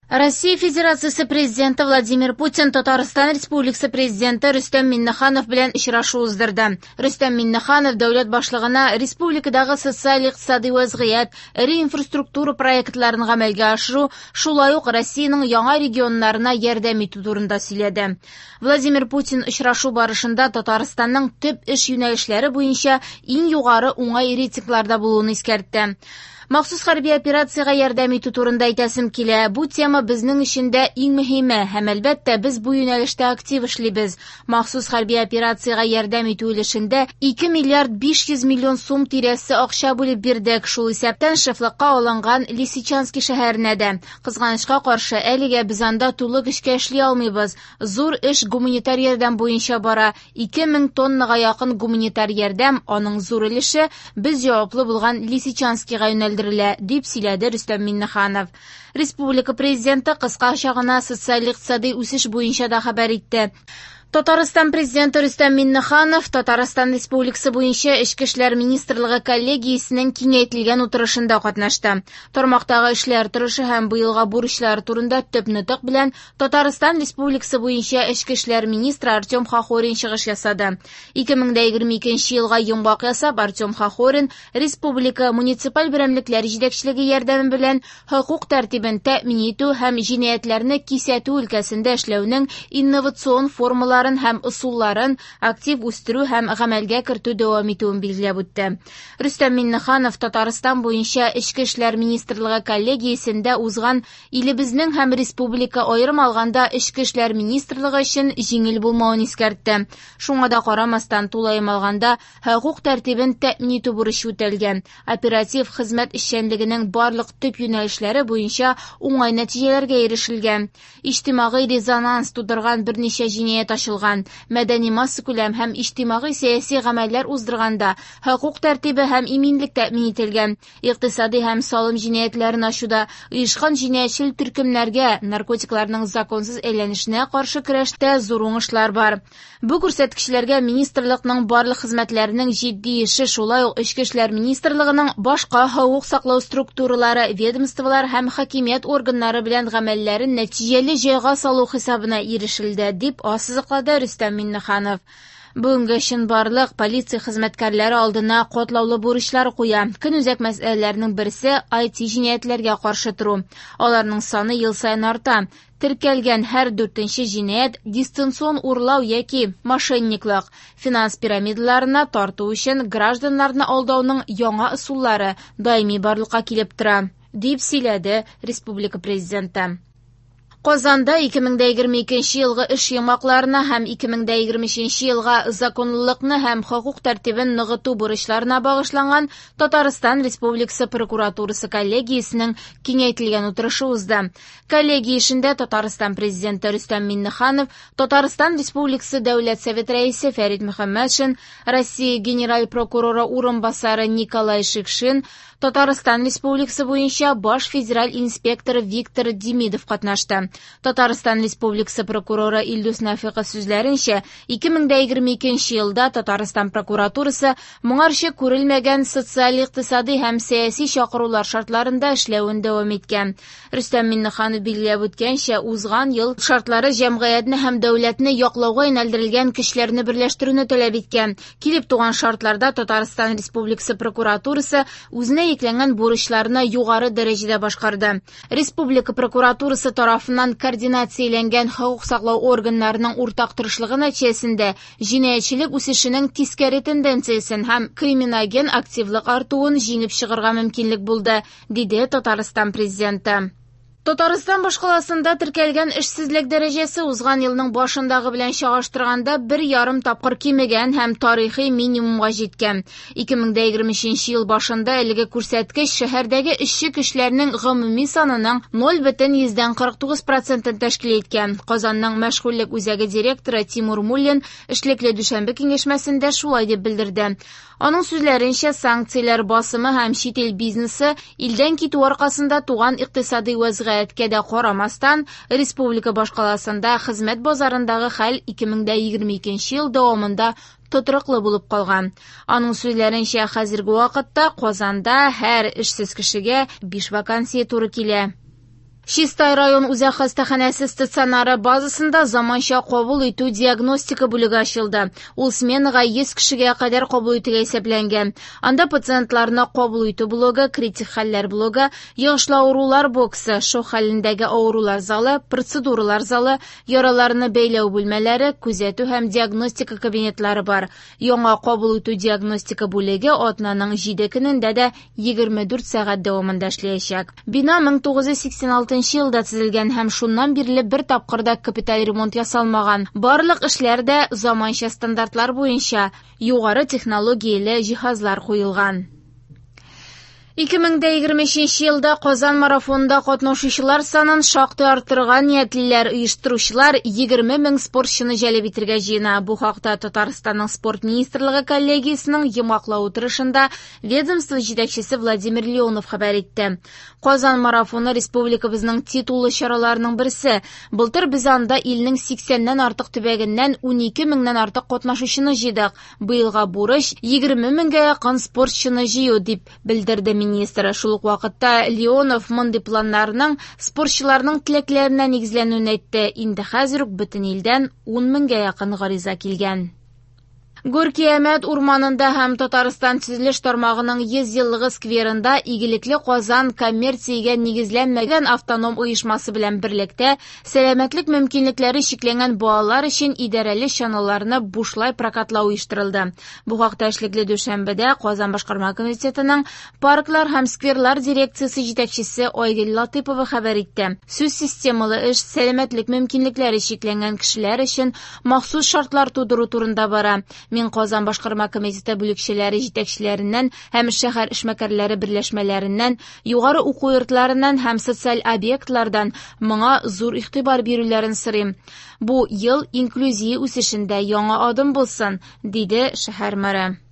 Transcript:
Россия Федерациясе Президенты Владимир Путин Татарстан Республикасы Президенты Рөстәм Миңнеханов белән очрашу уздырды. Рөстәм Миңнеханов дәүләт башлыгына республикадагы социаль-икътисади вәзгыять, эре инфраструктура проектларын гамәлгә ашыру, шулай ук Россиянең яңа регионнарына ярдәм итү турында сөйләде. Владимир Путин очрашу барышында Татарстанның төп эш юнәлешләре буенча иң югары уңай рейтингларда булуын искәртте. Махсус хәрби операциягә ярдәм итү турында әйтәсем килә. Бу тема безнең өчен дә иң мөһиме һәм, әлбәттә, без бу юнәлештә актив эшлибез. Махсус хәрби операциягә ярдәм итү өлешендә 2 миллиард 500 миллион сум тирәсе акча бүлеп бирдек, шул исәптән шефлыкка алынган Лисичански шәһәренә дә. Кызганычка каршы, әлегә без анда тулы көчкә эшли алмыйбыз. Зур эш гуманитар ярдәм буенча бара. 2000 тоннага якын гуманитар ярдәм, аның зур өлеше без җаваплы булган Лисичанскига юнәлдерелә, дип сөйләде Рөстәм Миңнеханов. Республика Президенты кыскача гына социаль-икътисади үсеш буенча да хәбәр итте. Татарстан Президенты Рөстәм Миңнеханов Татарстан Республикасы буенча Эчке эшләр министрлыгы коллегиясенең киңәйтелгән утырышында катнашты. Тармактагы эшләр торышы һәм быелга бурычлар турында төп нотык белән Татарстан Республикасы буенча Эчке эшләр министры Артем Хохорин чыгыш ясады. 2022 елга йомгак ясап, Артем Хохорин республика муниципаль берәмлекләр җитәкчелеге ярдәме белән хокук тәртибен тәэмин итү һәм җинаятьләрне кисәтү өлкәсендә эшләүнең инновацион формаларын һәм ысулларын актив үстерү һәм гамәлгә кертү дәвам итүен билгеләп үтте. Рөстәм Миңнеханов Татарстан буенча Эчке эшләр министрлыгы коллегиясендә узган илебезнең һәм республика аерым алганда Эчке эшләр министрлыгы өчен җиңел булмавын искәртте. Шуңа да карамастан, тулаем алганда, хокук тәртибен тәэмин итү бурычы үтәлгән. Оператив хезмәт эшчәнлегенең барлык төп юнәлешләре буенча уңай нәтиҗәләргә ирешелгән. Иҗтимагый резонанс тудырган берничә җинаять ачылган. Мәдәни массакүләм һәм иҗтимагый сәяси гамәлләр уздырганда хокук тәртибе һәм иминлек тәэмин ителгән. Икътисади һәм салым җинаятьләрен ачуда оешкан җинаятьчел төркемнәргә наркотикларның законсыз әйләнешенә каршы көрәштә зур уңышлар бар. Бу күрсәткечләргә министрлыкның барлык хезмәтләренең җитди эше, шулай ук Эчке эшләр министрлыгының башка хокук саклау структуралары, ведомстволар һәм хакимият органнары белән гамәлләрен нәтиҗәле җайга салу хисабына ирешелде, дип ассызыклады Рөстәм Миңнеханов. Бүгенге чынбарлык полиция хезмәткәрләре алдына катлаулы бурычлар куя. Көнүзәк мәсьәләләрнең берсе IT җинаятьләргә каршы тору. Аларның саны ел саен арта. Теркәлгән һәр дүртенче җинаять дистанцион урлау яки мошенниклык. Финанс пирамидаларына тарту өчен гражданнарны алдауның яңа ысуллары даими барлыкка килеп тора, дип сөйләде республика президенты. Казанда 2022 елгы эш йомгакларына һәм 2023 елга законлылыкны һәм хокук тәртибен ныгыту бурычларына багышланган Татарстан Республикасы прокуратурасы коллегиясенең киңәйтелгән утырышы узды. Коллегия эшендә Татарстан Президенты Рөстәм Миңнеханов, Татарстан Республикасы Дәүләт Совет Рәисе Фәрит Мөхәммәтшин, Россия Генераль прокуроры урынбасары Николай Шикшин, Татарстан Республикасы буенча баш федераль инспектор Виктор Демидов катнашты. Татарстан Республикасы прокуроры Илдус Нафиков сүзләренчә, 2022 елда Татарстан прокуратурасы моңарчы күрелмәгән социаль-икътисади һәм сәяси чакырулар шартларында эшләвен дәвам иткән. Рөстәм Миңнеханов билгеләп үткәнчә, узган ел шартлары җәмгыятьне һәм дәүләтне яклауга юнәлдерелгән көчләрне берләштерүне таләп иткән. Килеп туган шартларда Татарстан Республикасы прокуратурасы үзенә йөкләнгән бурычларны югары дәрәҗәдә башкарды. Республика прокуратурасы тарафыннан координацияләнгән хокук саклау органнарының уртак тырышлыгы нәтиҗәсендә җинаятьчелек үсешенең тискәре тенденциясен һәм криминоген активлык артуын җиңеп чыгарга мөмкинлек булды, диде Татарстан президенты. Татарстан башкаласында теркәлгән эшсезлек дәрәҗәсе узган елның башындагы белән чагыштырганда бер ярым тапкыр кимегән һәм тарихи минимумга җиткән. 2023 ел башында әлеге күрсәткеч шәһәрдәге эшче көчләрнең гомуми санының 0,49 процентын тәшкил иткән. Казанның мәшгульлек үзәге директоры Тимур Муллин эшлекле дүшәмбе киңәшмәсендә шулай дип белдерде. Аның сүзләренчә, санкцияләр басымы һәм чит ил бизнесы илдән китү аркасында туган икътисади вәзгыятькә дә карамастан, республика башкаласында хезмәт базарындагы хәл 2022 ел дәвамында тотрыклы булып калган. Аның сүзләренчә, хәзерге вакытта Казанда һәр эшсез кешегә 5 вакансия туры килә. Чистай район үзәк хастаханәсе стационары базасында заманча кабул итү диагностика бүлеге ачылды. Ул сменага 100 кешегә кадәр кабул итүгә исәпләнгән. Анда пациентларны кабул итү блогы, критик хәлләр блогы, йогышлы авырулар боксы, шок хәлендәге авырулар залы, процедуралар залы, яраларны бәйләү бүлмәләре, күзәтү һәм диагностика кабинетлары бар. Яңа кабул итү диагностика бүлеге атнаның 7 көнендә дә 24 сәгать дәвамында эшләячәк. Бина 1986 елда төзелгән һәм шуннан бирле бер тапкыр да капиталь ремонт ясалмаган. Барлык эшләр дә заманча стандартлар буенча югары технологияле җиһазлар куелган. 2023 елда Казан марафонында катнашучылар санын шактый арттырырга ниятлиләр. Оештыручылар 20 мең спортчыны җәлеп итәргә җыена. Бу хакта Татарстанның спорт министрлыгы коллегиясенең йомгаклау утырышында ведомство җитәкчесе Владимир Леонов хәбәр итте. Казан марафоны республикабызның титуллы чараларының берсе. Былтыр без анда илнең 80-нән артык төбәгеннән 12 меңнән артык катнашучыны җыйдык. Быелга бурыч 20 меңгә якын спортчыны җыю, дип белдерде министр. Шул ук вакытта Леонов мондый планнарның спортчыларның теләкләренә нигезләнүен әйтте. Инде хәзер үк бөтен илдән 10 меңгә якын гариза килгән. Горки-Әмәт урманында һәм Татарстан төзелеш тармагының 100 еллыгы скверында Игелекле Казан коммерциягә нигезләнмәгән автоном оешмасы белән берлектә сәламәтлек мөмкинлекләре чикләнгән балалар өчен идарәле чаналарны бушлай прокатлау оештырылды. Бу хакта эшлекле дүшәмбедә Казан башкарма комитетының парклар һәм скверлар дирекциясе җитәкчесе Айгөл Латыпова хәбәр итте. Сүз системалы эш сәламәтлек мөмкинлекләре чикләнгән кешеләр өчен махсус шартлар тудыру турында бара. Мин Казан башкарма комитеты бүлекчәләре җитәкчеләреннән һәм шәһәр эшмәкәрләре берләшмәләреннән, югары уку йортларыннан һәм социаль объектлардан моңа зур игътибар бирүләрен сорыйм. Бу ел инклюзия үсешендә яңа адым булсын, диде шәһәр мэры.